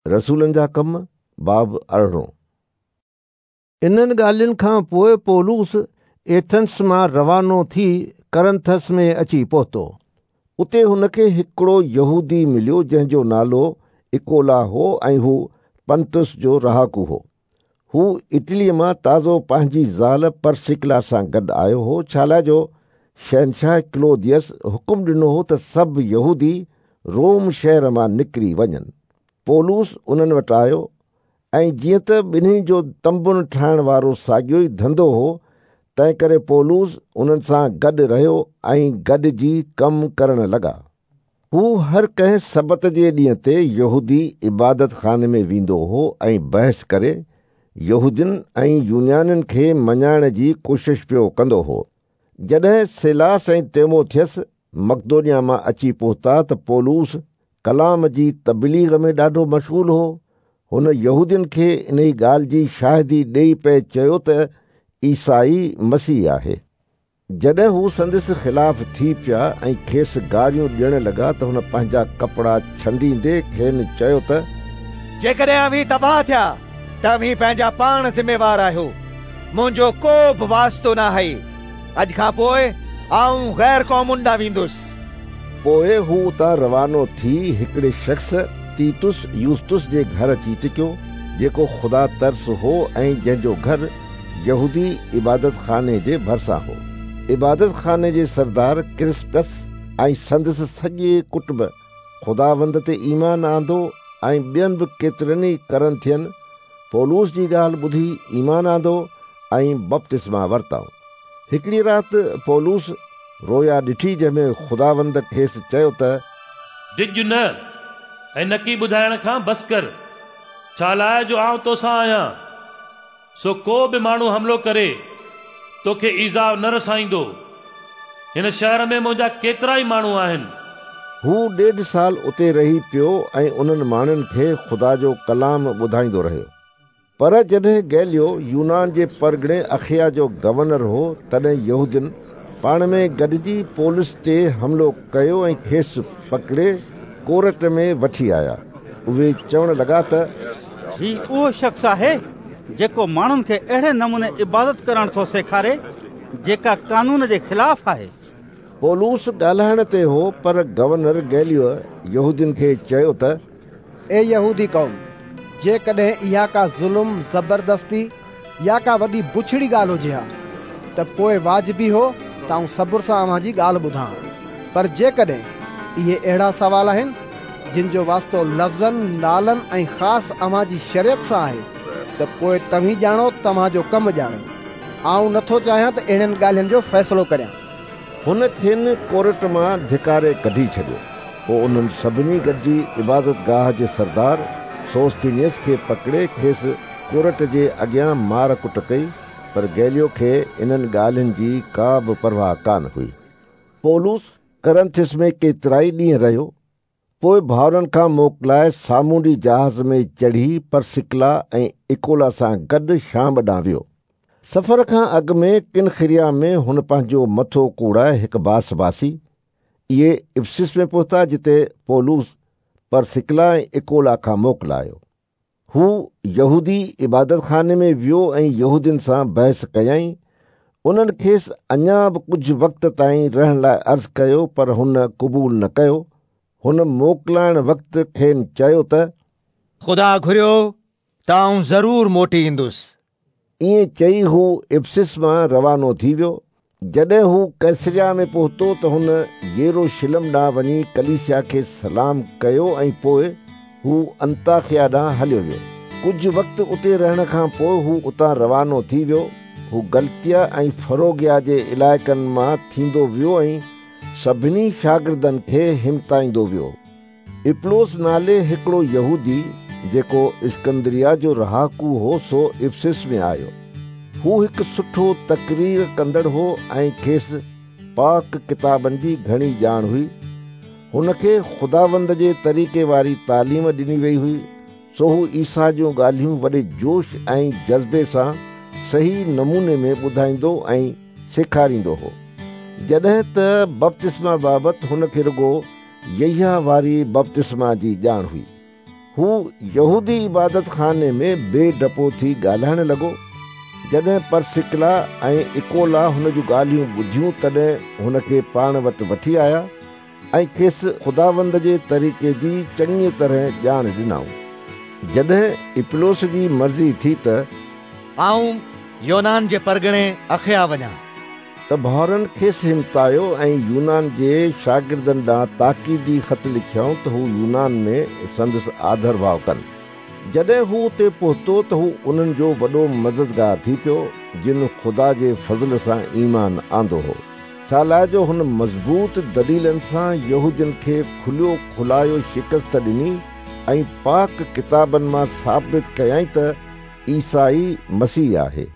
رسولن جا ڪم، باب 18. انهن ڳالهين کان پوء پولس ايٿنس مان روانو ٿي ڪرنٿس ۾ اچي پهتو. اتي هن کي هڪڙو يهودي مليو جنهن جو نالو اڪولا هو ۽ هو پنطس جو رهاڪو هو. هو اٽليء مان تازو پنهنجي زال پرسڪلا سان گڏ آيو هو، ڇالاء جو شهنشاهه ڪلوديس حڪم ڏنو هو ته سڀ يهودي روم شهر مان نڪري وڃن. پولس انهن وٽ آيو ۽ جيئن ته ٻنهي جو تنبن ٺاهڻ وارو ساڳيو ئي ڌنڌو هو، تنهنڪري پولس انهن سان گڏ رهيو ۽ گڏجي ڪم ڪرڻ لڳا. هو هر ڪنهن سبت جي ڏينهن تي يهودي عبادتخاني ۾ ويندو هو ۽ بحث ڪري يهودين ۽ يونانين کي مڃائڻ جي ڪوشش پيو ڪندو هو. جڏهن سيلاس ۽ تيموٿيس مقدونيا مان اچي پهتا ته پولس ڪلام جي تبليغ ۾ ڏاڍو مشغول هو. هن يهودين کي انهي ڳالهه جي شاهدي ڏيئي پئي چيو ته عيسيٰ ئي مسيح آهي. جڏهن هو سندس خلاف ٿي پيا ۽ کيس گاريون ڏيڻ لڳا ته هن پنهنجا ڪپڙا ڇنڊيندي کين چيو ته. جيڪڏهن اوهين تباهه ٿيا ته اوهين پنهنجا پاڻ ذميوار آهيو، منهنجو ڪو به واسطو ناهي. اڄ کان پوء آئون غير قومن ڏانهن ويندس. پوء هو اتان روانو ٿي هڪڙي شخص تيتس يوستس جي گهر اچي ٽڪيو، جيڪو خدا ترس هو ۽ جنهن جو گهر يهودي عبادتخاني جي ڀرسان هو. عبادتخاني جي سردار ڪرسپس ۽ سندس سڄي ڪٽنب خداوند تي ايمان آندو ۽ ٻين به ڪيترن ئي ڪرنٿين پولس جي ڳالهه ٻڌي ايمان آندو ۽ بپتسما ورتائون. هڪڙي رات پولس رويا ڏٺي جنهن ۾ خداوند کيس چيو ته. ڊڄ نه ۽ نڪي ٻڌائڻ کان بس ڪر، ڇالاء جو آئون توسان آهيان. سو ڪو به ماڻهو حملو ڪري توکي ايذاء نه رسائيندو. هن شهر ۾ منهنجا ڪيترائي ماڻهو آهن. هو ڏيڍ سال اتي رهي پيو ۽ انهن ماڻهن کي خدا جو ڪلام ٻڌائيندو رهيو. پر جڏهن گئليو يونان جي پرڳڻي اخيا جو گورنر هو، تڏهن يهودين پاڻ ۾ گڏجي پولس تي حملو ڪيو ۽ کيس پڪڙي ڪورٽ ۾ وٺي آيا. اهي چوڻ لڳا ته هي اهو شخص آهي جيڪو ماڻهن کي اهڙي نموني عبادت ڪرڻ ٿو سيکاري جيڪا قانون جي خلاف آهي. پولس ڳالهائڻ تي هو پر گورنر گئليو يهودين کي چيو ته. اي يهودي قوم! جيڪڏهن اها ڪا ظلم، زبردستي يا ڪا وڏي بڇڙي ڳالهه هجي ها ته پوء واجبي هو ته آئون صبر سان اوهان جي ڳالهه ٻڌان ها. پر جيڪڏهن اهي اهڙا سوال آهن، جن جو واسطو لفظن، نالن ۽ خاص اوهان جي شريعت سان آهي ته پوء توهين ڄاڻو توهان جو ڪم ڄاڻي. آئون نه ٿو چاهيان ته اهڙين ڳالهين جو فيصلو ڪريان. هن کين ڪورٽ مان ڌڪاري ڪڍي ڇڏيو. پوء انهن سڀني گڏجي عبادتگاهه جي سردار سوستينيس کي پڪڙي کيس ڪورٽ جي اڳيان مار ڪٽ ڪئي، پر گئليو کي انهن ڳالهين جي ڪا به پرواهه ڪانه هئي. پولس ڪرنٿس ۾ ڪيترائي ڏينهن رهيو. پوء ڀائرن کان موڪلائي سامونڊي جهاز ۾ چڙهي پرسڪلا ۽ اڪولا سان گڏ شام ڏانهن ويو. سفر کان اڳ ۾ ڪنخريا ۾ هن پنهنجو مٿو ڪوڙائي هڪ باس باسي. اهي افسس ۾ پهتا جتي پولس پرسڪلا ۽ اڪولا کان موڪلايو. هو يهودي عبادتخاني ۾ ويو ۽ يهودين سان بحث ڪيائين. انهن کيس اڃا به ڪجهه وقت تائين رهڻ لاء عرض ڪيو پر هن قبول نه ڪيو. هن موڪلائڻ وقت کين چيو ته. خدا گهريو ته آئون ضرور موٽي ايندس. ائين چئي هو افسس مان روانو ٿي ويو. جڏهن هو قيصريا ۾ پهتو ته هن يروشلم ڏانهن وڃي ڪليسيا کي سلام ڪيو ۽ پوء هو انطاخيا ڏانهن هليو ويو. ڪجهه وقت اتي رهڻ کان پوء هو اتان روانو ٿي ويو. هو گلتيا ۽ فروگيا جي علائقن مان ٿيندو ويو ۽ سڀني شاگردن کي همتائيندو ويو. اپلوس نالي هڪڙو يهودي، جيڪو اسڪندريه جو رهاڪو هو سو افسس ۾ آيو. هو هڪ سٺو تقرير ڪندڙ هو ۽ کيس پاڪ ڪتابن جي گهڻي ڄاڻ هئي. هن کي خداوند جي طريقي واري تعليم ڏني وئي هئي، سو هو عيسيٰ جون ڳالهيون وڏي جوش ۽ جذبي سان صحيح نموني ۾ ٻڌائيندو ۽ سيکاريندو هو. جڏهن ته بپتسما بابت هن کي رڳو يحيٰ واري بپتسما جي ڄاڻ هئي. هو يهودي عبادتخاني ۾ بي ڊپو ٿي ڳالهائڻ لڳو. جڏهن پرسڪلا ۽ اڪولا هن جون ڳالهيون ٻڌيون تڏهن هن کي پاڻ وٽ وٺي آيا ۽ کيس خداوند جي طريقي جي چڱيء طرح ڄاڻ ڏنائون. جڏهن اپلوس جي مرضي ٿي ته آئون يونان جي پرڳڻي اخيا وڃان. ته ڀائرن کيس همتايو ۽ يونان جي شاگردن ڏانهن تاڪيدي خط لکيائون ته هو يونان ۾ سندس آڌرڀاء ڪن. جڏهن هو اتي پهتو ته هو انهن جو وڏو مددگار ٿي پيو، جن خدا جي فضل سان ايمان آندو هو. ڇالاء جو هن مضبوط دليلن سان يهودين کي کليو کلايو شڪست ڏني ۽ پاڪ ڪتابن مان ثابت ڪيائين ته عيسيٰ ئي مسيح آهي.